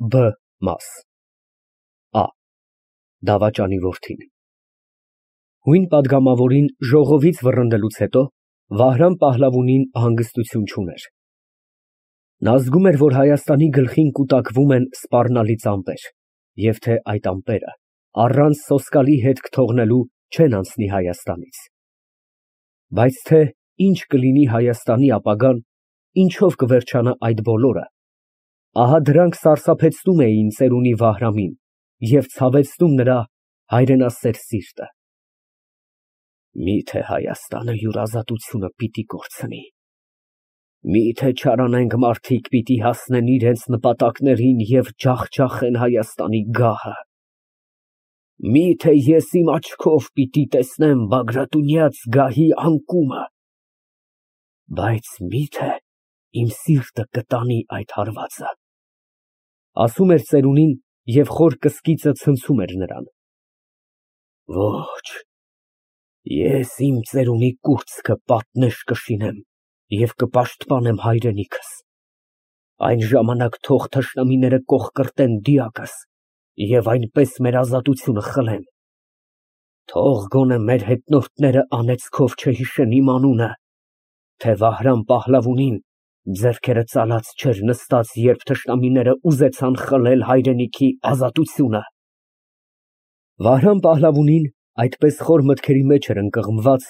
Բ մաս Ա. Դավաճանի որդին Հույն պատգամավորին ժողովից վռնդելուց հետո Վահրամ Պահլավունին հանգստություն չուներ։ Նա զգում էր, որ Հայաստանի գլխին կուտակվում են սպառնալից ամպեր, և թե այդ ամպերը առանց սոսկալի հետք թողնելու չեն անցնի Հայաստանից։ Բայց թե ինչ կլինի Հայաստանի ապագան, ինչով կվերջանա այդ բոլորը, ահա դրանք սարսափեցնում էին ծերունի Վահրամին և ցավեցնում նրա հայրենասեր սիրտը։ Մի՞թե Հայաստանը յուր ազատությունը պիտի կորցնի, մի՞թե չարանենգ մարդիկ պիտի հասնեն իրենց նպատակներին և ջախջախեն Հայաստանի գահը, մի՞թե ես իմ աչքով պիտի տեսնեմ Բագրատունյաց գահի անկումը, բայց մի՞թե իմ սիրտը կտանի այդ հարվածը, ասում էր ծերունին և խոր կսկիծը ցնցում էր նրան։ Ոչ, ես իմ ծերունի կուրծքը պատնեշ կշինեմ և կպաշտպանեմ հայրենիքս, այն ժամանակ թող թշնամիները կոխկրտեն դիակս և այնպես մեր ազատությունը խլեն, թող գոնե մեր հետնորդները անեծքով չհիշեն իմ անունը, թե Վահրամ Պահլավունին ձեռքերը ծալած չէր նստած, երբ թշնամիները ուզեցան խլել հայրենիքի ազատությունը։ Վահրամ Պահլավունին այդպես խոր մտքերի մեջ էր ընկղմված,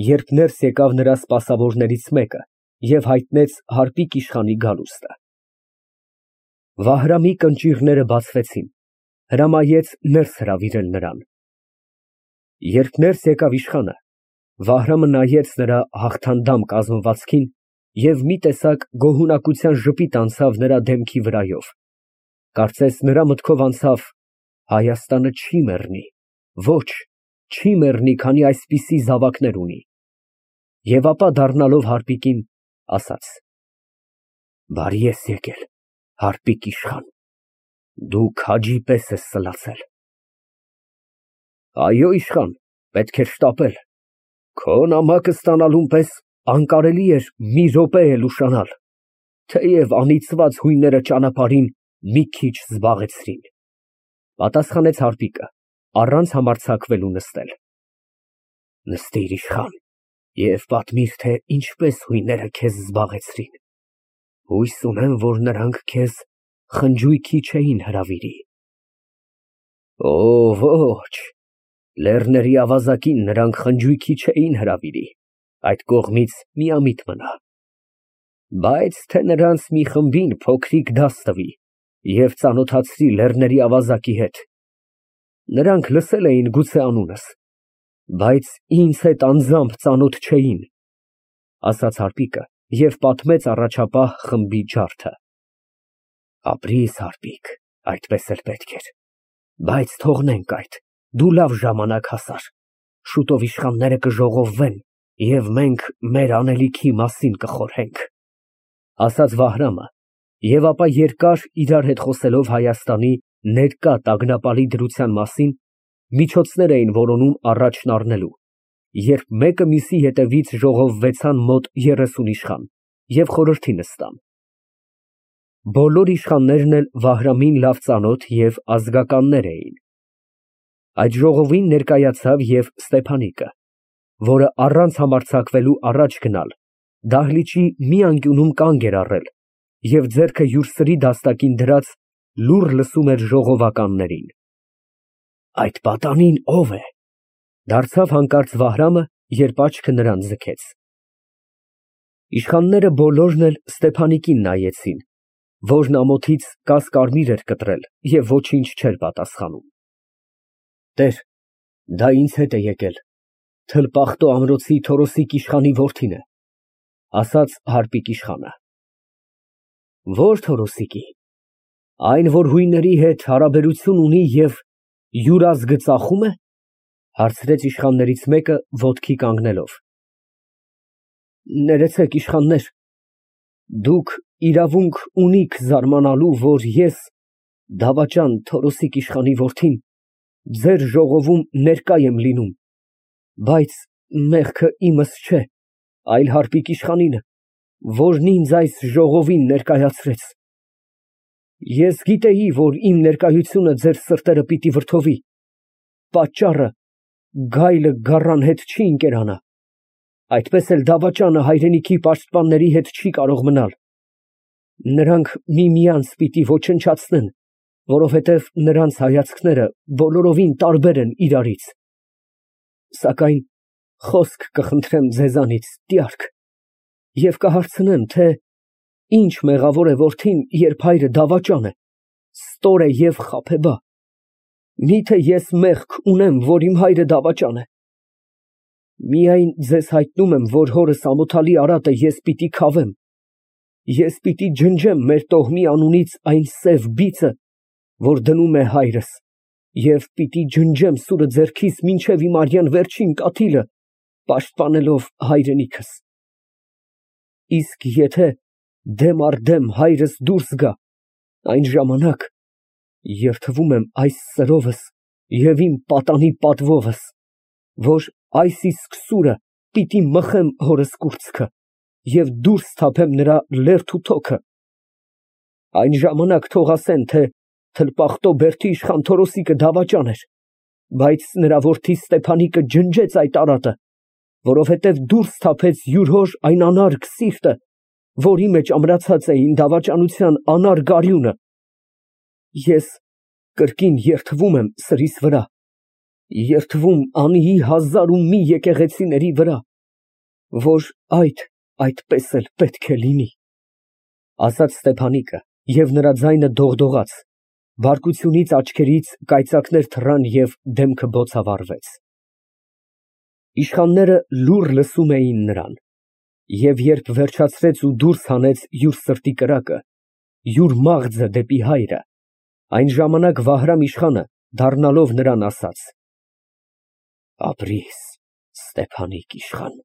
երբ ներս եկավ նրա սպասավորներից մեկը և հայտնեց հարկիկ իշխանի գալուստը։ Վահրամի կնճիռները բացվեցին, հրամայեց ներս հրավիրել նրան։ Երբ ներս եկավ իշխանը, Վահրամը նայեց նրա հաղթանդամ կազմվածքին և մի տեսակ գոհունակության ժպիտ անցավ նրա դեմքի վրայով, կարծես նրա մտքով անցավ. Հայաստանը չի մեռնի, ոչ, չի մեռնի, քանի այսպիսի զավակներ ունի, և ապա դառնալով հարկիկին, ասաց. Բարի ես եկել, հարկիկ իշխան, դու քաջի պես ես սլացել։ Այո, իշխան, պետք էր շտապել, քո նամակը ստանալուն պես անկարելի էր մի րոպե էլ ուշանալ, թեև անիծված հույնները ճանապարհին մի քիչ զբաղեցրին, պատասխանեց հարկիկը, առանց համարձակվելու նստել։ Նստիր, իշխան, և պատմիր, թե ինչպես հույները քեզ զբաղեցրին, հույս ունեմ, որ նրանք քեզ խնջույքի չէին հրավիրի։ Օ, ոչ, լեռների ավազակին նրանք խնջույքի չէին հրավիրի, այդ կողմից միամիտ մնա, բայց թե նրանց մի խմբին փոքրիկ դաս տվի և ծանոթացրի լեռների ավազակի հետ, նրանք լսել էին գուցե անունս, բայց ինձ հետ անձամբ ծանոթ չէին, ասաց հարկիկը և պատմեց առաջապահ խմբի ջարդը։ Ապրիր, հարկիկ, այդպես էլ պետք էր, բայց թողնենք այդ, դու լավ ժամանակ հասար, շուտով իշխանները կժողովվեն և մենք մեր անելիքի մասին կխորհենք, ասաց Վահրամը, և ապա երկար իրար հետ խոսելով Հայաստանի ներկա տագնապալի դրության մասին, միջոցներ էին որոնում առաջն առնելու, երբ մեկը մյուսի հետևից ժողովվեցան մոտ 30 իշխան և խորհրդի նստան։ Բոլոր իշխաններն էլ Վահրամին լավ ծանոթ և ազգականներ էին։ Այդ ժողովին ներկայացավ և Ստեփանիկը, որը առանց համարձակվելու առաջ գնալ, դահլիճի մի անկյունում կանգ էր առել և ձեռքը յուր սրի դաստակին դրած լուռ լսում էր ժողովականներին։ Այդ պատանին ո՞վ է, դարձավ հանկարծ Վահրամը, երբ աչքը նրան ձգեց։ Իշխանները բոլորն էլ Ստեփանիկին նայեցին, որն ամոթից կասկարմիր էր կտրել և ոչինչ չէր պատասխանում։ Տեր, դա ինձ հետ է եկել, Թլպախտո ամրոցի Թորոսիկ իշխանի որդին է, ասաց հարկիկ իշխանը։ Ո՞ր Թորոսիկի, այն, որ հույների հետ հարաբերություն ունի և յուր ազգը ծախում է, հարցրեց իշխաններից մեկը ոտքի կանգնելով։ Ներեցեք, իշխաններ, դուք իրավունք ունիք զարմանալու, որ ես, դավաճան Թորոսիկ իշխանի որդին, ձեր ժողովում ներկա եմ լինում, բայց մեղքը իմս չէ, այլ հարկիկ իշխանինը, որն ինձ այս ժողովին ներկայացրեց։ Ես գիտեի, որ իմ ներկայությունը ձեր սրտերը պիտի վրդովի, պատճառը գայլը գառան հետ չի ընկերանա, այդպես էլ դավաճանը հայրենիքի պաշտպանների հետ չի կարող մնալ. նրանք միմյանց պիտի ոչնչացնեն, որովհետև նրանց հայացքները բոլորովին տարբեր են իրարից, սակայն խոսք կխնդրեմ ձեզանից, տյարք, և կհարցնեմ, թե ինչ մեղավոր է որդին, երբ հայրը դավաճան է, ստոր է և խաբեբա, միթե ես մեղք ունեմ, որ իմ հայրը դավաճան է։ Միայն ձեզ հայտնում եմ, որ հորս ամոթալի արատը ես պիտի քավեմ, ես պիտի ջնջեմ մեր տոհմի անունից այն սև բիծը, որ դնում է հայրս, և պիտի ջնջեմ սուրը ձեռքիս մինչև իմ արյան վերջին կաթիլը, պաշտպանելով հայրենիքս։ Իսկ եթե դեմ առ դեմ հայրս դուրս գա, այն ժամանակ երդվում եմ այս սրովս և իմ պատանի պատվովս, որ այս իսկ սուրը պիտի մխեմ հորս կուրծքը և դուրս թափեմ նրա լերդ ու թոքը։ Այն ժամանակ թող ասեն, թե թլպախտո Բերդի իշխան Թորոսիկը դավաճան էր, բայց նրա որդի Ստեփանիկը ջնջեց այդ արատը, որովհետև դուրս թափեց յուր հոր այն անարգ սիրտը, որի մեջ ամրացած էին դավաճանության անարգ արյունը։ Ես կրկին երդվում եմ սրիս վրա, երդվում անիի հազար ու մի եկեղեցիների վրա, որ այդպես էլ պետք է լինի, ասաց Ստեփանիկը, և նրա ձայնը դողդողաց, բարկությունից աչքերից կայծակներ թռան և դեմքը բոցավառվեց։ Իշխանները լուռ լսում էին նրան, և երբ վերջացրեց ու դուրս հանեց յուր սրտի կրակը, յուր մաղձը դեպի հայրը, այն ժամանակ Վահրամ իշխանը, դառնալով նրան, ասաց. Ապրիր, Ստեփանիկ իշխան,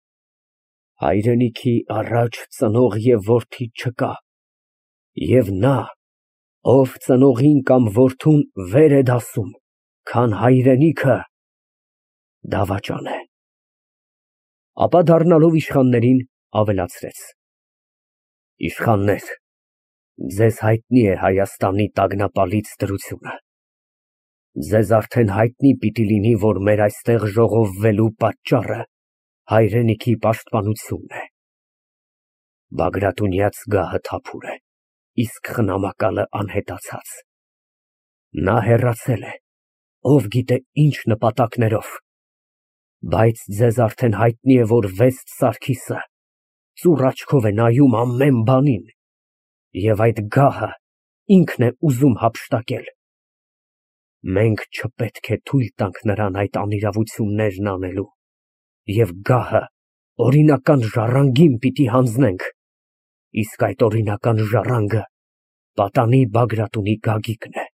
հայրենիքի առաջ ծնող և որդի չկա, և նա, ով ծնողին կամ որդուն վեր է դասում, քան հայրենիքը, դավաճան է։ Ապա դառնալով իշխաններին, ավելացրեց. Իշխաններ, ձեզ հայտնի է Հայաստանի տագնապալից դրությունը։ Ձեզ արդեն հայտնի պիտի լինի, որ մեր այստեղ ժողովվելու պատճառը հայրենիքի պաշտպանությունն է։ Բագրատունյաց գահը թափուր է, իսկ խնամակալը անհետացած։ Նա հեռացել է, ով գիտե ինչ նպատակներով, բայց ձեզ արդեն հայտնի է, որ Վեստ Սարգիսը ծուռ աչքով է նայում ամեն բանին, և այդ գահը ինքն է ուզում հափշտակել։ Մենք չպետք է թույլ տանք նրան այդ անիրավություններն անելու, և գահը օրինական ժառանգին պիտի հանձնենք, իսկ այդ օրինական ժառանգը պատանի Բագրատունի Գագիկն է։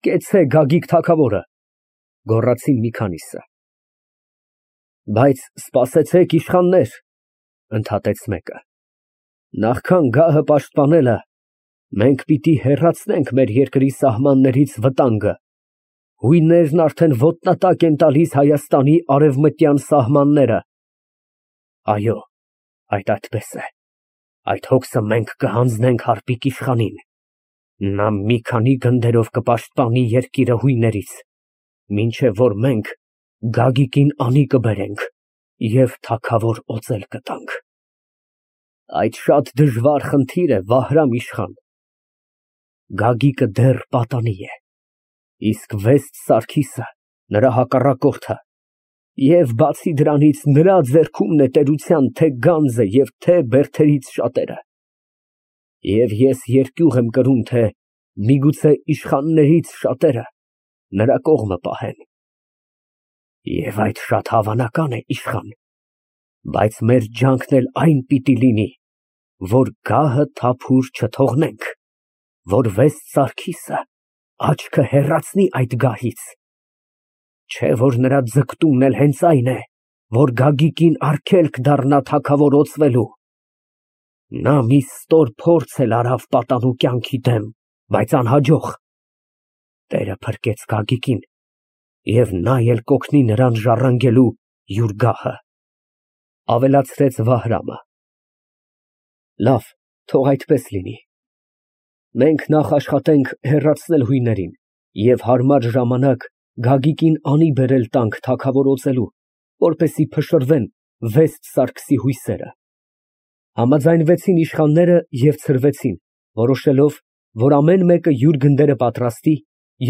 Կեցցե Գագիկ թագավորը, գոռացին մի քանիսը։ Բայց սպասեցեք, իշխաններ, ընդհատեց մեկը, նախքան գահը պաշտպանելը, մենք պիտի հեռացնենք մեր երկրի սահմաններից վտանգը, հույններն արդեն ոտնատակ են տալիս Հայաստանի արևմտյան սահմանները։ Այո, այդպես է, այդ հոգսը մենք կհանձնենք Հարպիկ իշխանին, նա մի քանի գնդերով կպաշտպանի երկիրը հույներից, մինչև որ մենք Գագիկին անի կբերենք և թագավոր օծել կտանք։ Այդ շատ դժվար խնդիր է, Վահրամ իշխան։ Գագիկը դեռ պատանի է, իսկ Վեստ Սարգիսը նրա հակառակորդը, և բացի դրանից նրա ձեռքումն է տերության թե գանձը և թե բերդերից շատերը։ Եվ ես երկյուղ եմ կրում, թե միգուցե իշխաններից շատերը նրա կողմը պահեն։ Եվ այդ շատ հավանական է, իշխան, բայց մեր ջանքն էլ այն պիտի լինի, որ գահը թափուր չթողնենք, որ Վեստ Սարգիսը աչքը հեռացնի այդ գահից, չէ որ նրա ձգտումն էլ հենց այն է, որ Գագիկին արգելք դառնա թագավոր օծվելու։ Նա մի ստոր փորձ էլ արավ պատանու կյանքի դեմ, բայց անհաջող։ Տերը փրկեց Գագիկին, և նա էլ կօգնի նրան ժառանգելու յուր գահը, ավելացրեց Վահրամը։ Լավ, թող այդպես լինի։ Մենք նախ աշխատենք հեռացնել հույներին և հարմար ժամանակ Գագիկին անի բերել տանք թագավոր օծելու, որպեսզի փշրվեն վեստ Սարգսի հույսերը։ Համաձայնվեցին իշխանները և ցրվեցին, որոշելով, որ ամեն մեկը յուր գնդերը պատրաստի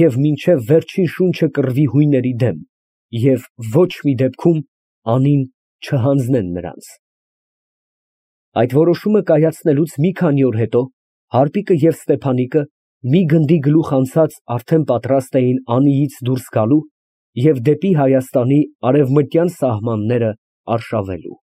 և մինչև վերջին շունչը կռվի հույների դեմ և ոչ մի դեպքում անին չհանձնեն նրանց։ Այդ որոշումը կայացնելուց մի քանի օր հետո Հարպիկը և Ստեփանիկը մի գնդի գլուխ անցած արդեն պատրաստ էին Անիից դուրս գալու և դեպի Հայաստանի արևմտյան սահմանները արշավելու։